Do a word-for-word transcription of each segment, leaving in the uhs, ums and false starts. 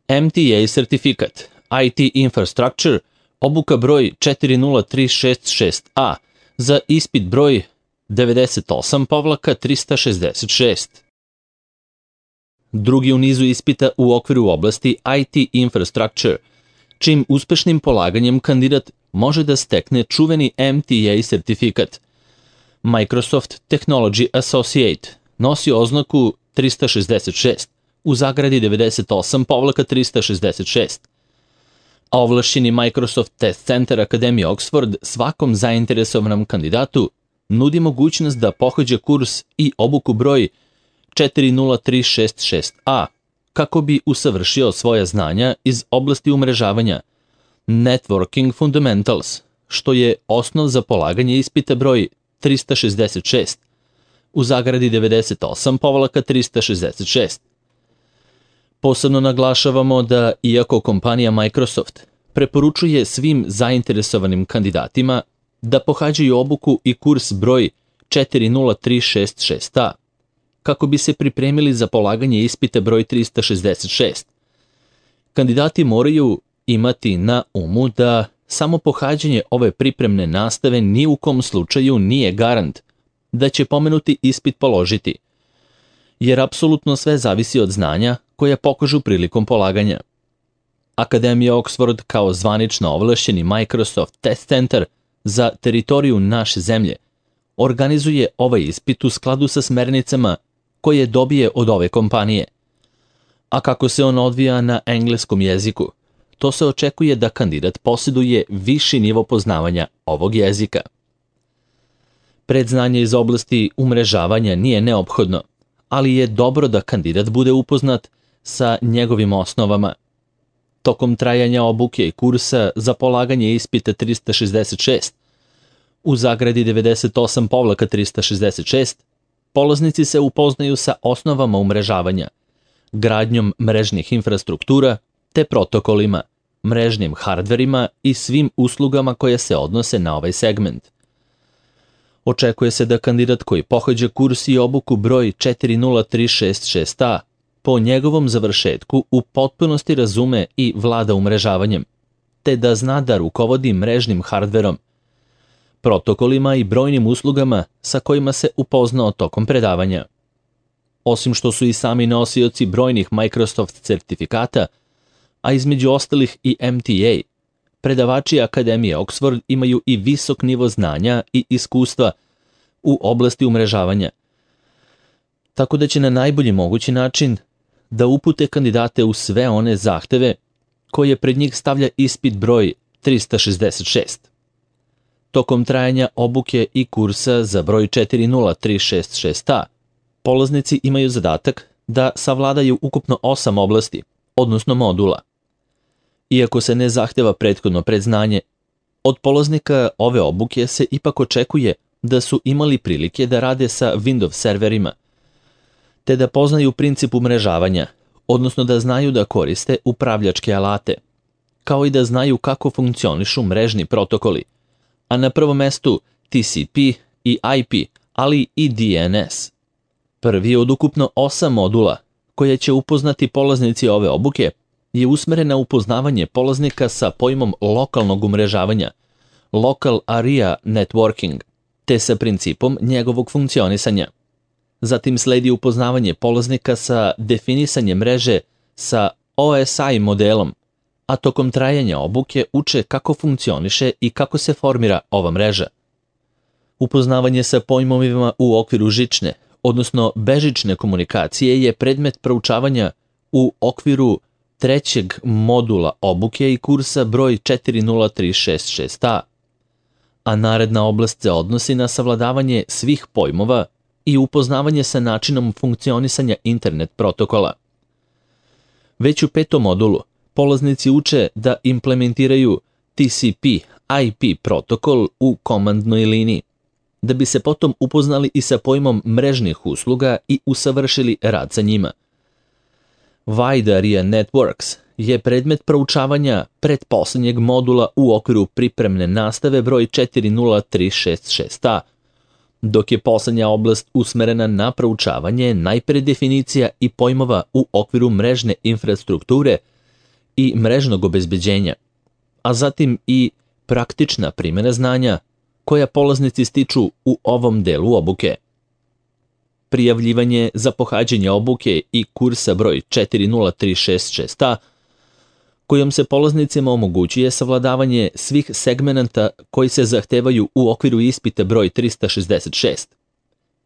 M T A sertifikat, I T Infrastructure, obuka broj četiri nula tri šest šest A za ispit broj devedeset osam trista šezdeset šest. Drugi u nizu ispita u okviru oblasti I T Infrastructure, čim uspešnim polaganjem kandidat može da stekne čuveni M T A sertifikat. Microsoft Technology Associate nosi oznaku trista šezdeset šest u zagradi devedeset osam trista šezdeset šest. A ovlašćeni Microsoft Test Center Akademije Oxford svakom zainteresovanom kandidatu nudi mogućnost da pohađa kurs i obuku broj četiri nula tri šest šest A kako bi usavršio svoja znanja iz oblasti umrežavanja Networking Fundamentals, što je osnov za polaganje ispita broj trista šezdeset šest u zagradi devedeset osam trista šezdeset šest. Posebno naglašavamo da, iako kompanija Microsoft preporučuje svim zainteresovanim kandidatima da pohađaju obuku i kurs broj četiri nula tri šest šest A, kako bi se pripremili za polaganje ispita broj trista šezdeset šest. Kandidati moraju imati na umu da samo pohađanje ove pripremne nastave ni u kom slučaju nije garant da će pomenuti ispit položiti, jer apsolutno sve zavisi od znanja koje pokažu prilikom polaganja. Akademija Oxford kao zvanično ovlašćeni Microsoft Test Center za teritoriju naše zemlje organizuje ovaj ispit u skladu sa smernicama koje dobije od ove kompanije. A kako se on odvija na engleskom jeziku, to se očekuje da kandidat posjeduje viši nivo poznavanja ovog jezika. Predznanje iz oblasti umrežavanja nije neophodno, ali je dobro da kandidat bude upoznat sa njegovim osnovama. Tokom trajanja obuke i kursa za polaganje ispita trista šezdeset šest u zagradi devedeset osam trista šezdeset šest, polaznici se upoznaju sa osnovama umrežavanja, gradnjom mrežnih infrastruktura te protokolima, mrežnim hardverima i svim uslugama koje se odnose na ovaj segment. Očekuje se da kandidat koji pohađa kurs i obuku broj četiri nula tri šest šest A po njegovom završetku u potpunosti razume i vlada umrežavanjem, te da zna da rukovodi mrežnim hardverom, protokolima i brojnim uslugama sa kojima se upoznao tokom predavanja. Osim što su i sami nosioci brojnih Microsoft certifikata, a između ostalih i M T A, predavači Akademije Oxford imaju i visok nivo znanja i iskustva u oblasti umrežavanja, tako da će na najbolji mogući način da upute kandidate u sve one zahteve koje pred njih stavlja ispit broj trista šezdeset šest. Tokom trajanja obuke i kursa za broj četiri nula tri šest šest A, polaznici imaju zadatak da savladaju ukupno osam oblasti, odnosno modula. Iako se ne zahteva prethodno predznanje, od polaznika ove obuke se ipak očekuje da su imali prilike da rade sa Windows serverima, te da poznaju princip umrežavanja, odnosno da znaju da koriste upravljačke alate, kao i da znaju kako funkcionišu mrežni protokoli, a na prvom mestu T C P i I P, ali i D N S. Prvi od ukupno osam modula koje će upoznati polaznici ove obuke je usmeren na upoznavanje polaznika sa pojmom lokalnog umrežavanja, Local Area Networking, te sa principom njegovog funkcionisanja. Zatim sledi upoznavanje polaznika sa definisanjem mreže sa O S I modelom, a tokom trajanja obuke uče kako funkcioniše i kako se formira ova mreža. Upoznavanje sa pojmovima u okviru žične, odnosno bežične komunikacije je predmet proučavanja u okviru trećeg modula obuke i kursa broj četiri nula tri šest šest A, a naredna oblast se odnosi na savladavanje svih pojmova i upoznavanje sa načinom funkcionisanja internet protokola. Već u petom modulu polaznici uče da implementiraju T C P I P protokol u komandnoj liniji, da bi se potom upoznali i sa pojmom mrežnih usluga i usavršili rad sa njima. Wide Area Networks je predmet proučavanja pretposlednjeg modula u okviru pripremne nastave broj četiri nula tri šest šest A, dok je poslednja oblast usmerena na proučavanje najpre definicija i pojmova u okviru mrežne infrastrukture i mrežnog obezbeđenja, a zatim i praktična primjena znanja koja polaznici stiču u ovom delu obuke. Prijavljivanje za pohađanje obuke i kursa broj četiri nula tri šest šest A, kojom se polaznicima omogućuje savladavanje svih segmenata koji se zahtevaju u okviru ispita broj trista šezdeset šest,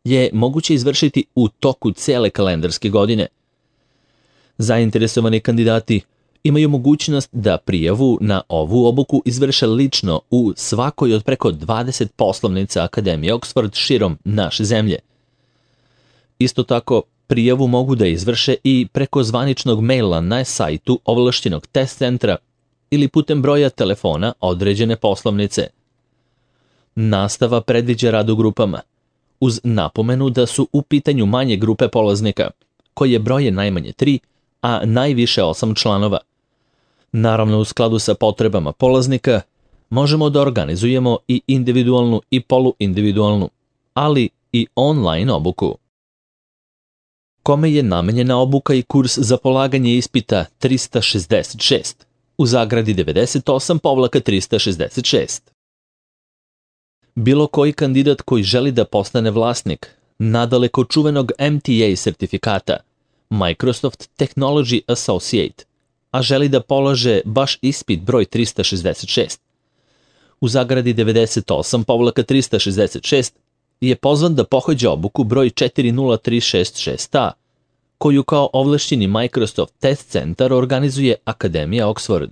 je moguće izvršiti u toku cele kalendarske godine. Zainteresovani kandidati imaju mogućnost da prijavu na ovu obuku izvrše lično u svakoj od preko dvadeset poslovnica Akademije Oxford širom naše zemlje. Isto tako, prijavu mogu da izvrše i preko zvaničnog maila na sajtu ovlašćenog test centra ili putem broja telefona određene poslovnice. Nastava predviđa rad u grupama, uz napomenu da su u pitanju manje grupe polaznika, koje broje najmanje tri, a najviše osam članova. Naravno, u skladu sa potrebama polaznika, možemo da organizujemo i individualnu i poluindividualnu, ali i online obuku. Kome je namenjena obuka i kurs za polaganje ispita trista šezdeset šest, u zagradi devedeset osam trista šezdeset šest? Bilo koji kandidat koji želi da postane vlasnik nadaleko čuvenog M T A sertifikata, Microsoft Technology Associate, a želi da polaže baš ispit broj trista šezdeset šest, u zagradi devedeset osam trista šezdeset šest, je pozvan da pohađa obuku broj četiri nula tri šest šest A, koju kao ovlašćeni Microsoft Test Centar organizuje Akademija Oxford.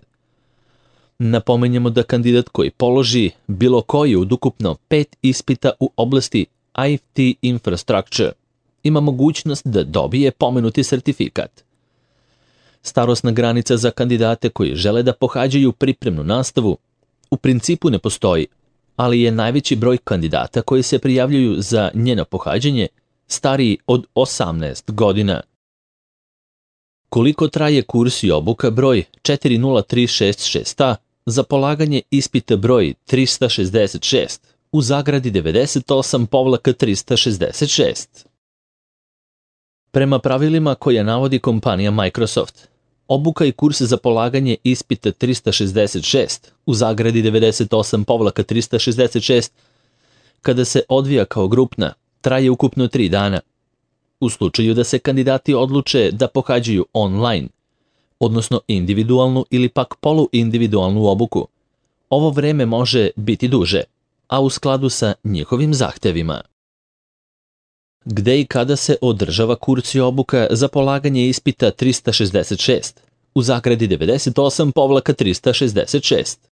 Napomenjemo da kandidat koji položi bilo koji od ukupno pet ispita u oblasti I T infrastructure ima mogućnost da dobije pomenuti sertifikat. Starosna granica za kandidate koji žele da pohađaju pripremnu nastavu u principu ne postoji, ali je najveći broj kandidata koji se prijavljuju za njeno pohađanje stariji od osamnaest godina. Koliko traje kurs i obuka broj četiri nula tri šest šest A za polaganje ispita broj trista šezdeset šest u zagradi devedeset osam trista šezdeset šest? Prema pravilima koja navodi kompanija Microsoft, obuka i kurs za polaganje ispita trista šezdeset šest u zagradi devedeset osam trista šezdeset šest, kada se odvija kao grupna, traje ukupno tri dana. U slučaju da se kandidati odluče da pohađaju online, odnosno individualnu ili pak poluindividualnu obuku, ovo vreme može biti duže, a u skladu sa njihovim zahtevima. Gde i kada se održava kurs i obuka za polaganje ispita trista šezdeset šest u zagradi devedeset osam trista šezdeset šest?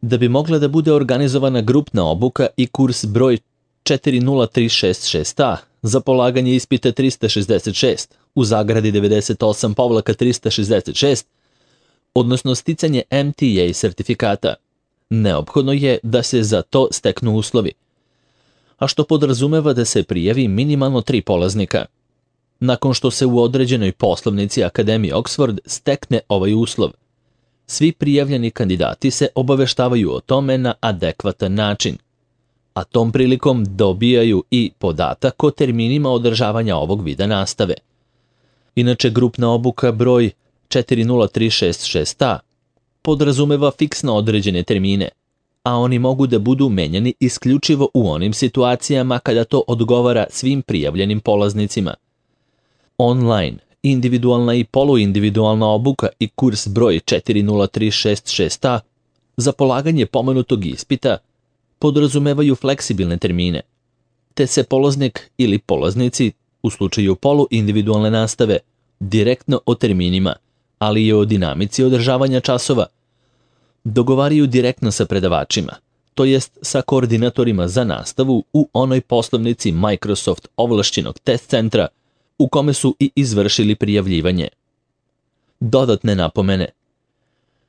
Da bi mogla da bude organizovana grupna obuka i kurs broj četiri nula tri šest šest A za polaganje ispita trista šezdeset šest u zagradi devedeset osam trista šezdeset šest, odnosno sticanje M T A sertifikata, neophodno je da se za to steknu uslovi, a što podrazumeva da se prijavi minimalno tri polaznika. Nakon što se u određenoj poslovnici Akademije Oxford stekne ovaj uslov, svi prijavljeni kandidati se obaveštavaju o tome na adekvatan način, a tom prilikom dobijaju i podatak o terminima održavanja ovog vida nastave. Inače, grupna obuka broj četiri nula tri šest šest A podrazumeva fiksno određene termine, a oni mogu da budu menjani isključivo u onim situacijama kada to odgovara svim prijavljenim polaznicima. Online, individualna i poluindividualna obuka i kurs broj četiri nula tri šest šest A za polaganje pomenutog ispita podrazumevaju fleksibilne termine, te se polaznik ili polaznici, u slučaju poluindividualne nastave, direktno o terminima, ali i o dinamici održavanja časova, dogovaraju direktno sa predavačima, to jest sa koordinatorima za nastavu u onoj poslovnici Microsoft ovlašćenog test centra u kome su i izvršili prijavljivanje. Dodatne napomene.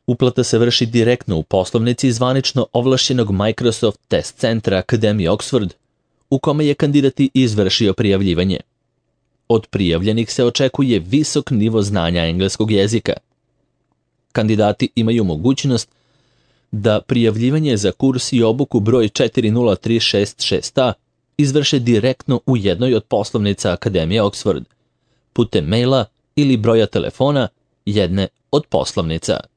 Uplata se vrši direktno u poslovnici zvanično ovlašćenog Microsoft test centra Akademije Oxford, u kome je kandidat i izvršio prijavljivanje. Od prijavljenih se očekuje visok nivo znanja engleskog jezika. Kandidati imaju mogućnost da prijavljivanje za kurs i obuku broj četiri nula tri šest šest A izvrše direktno u jednoj od poslovnica Akademije Oxford, putem maila ili broja telefona jedne od poslovnica.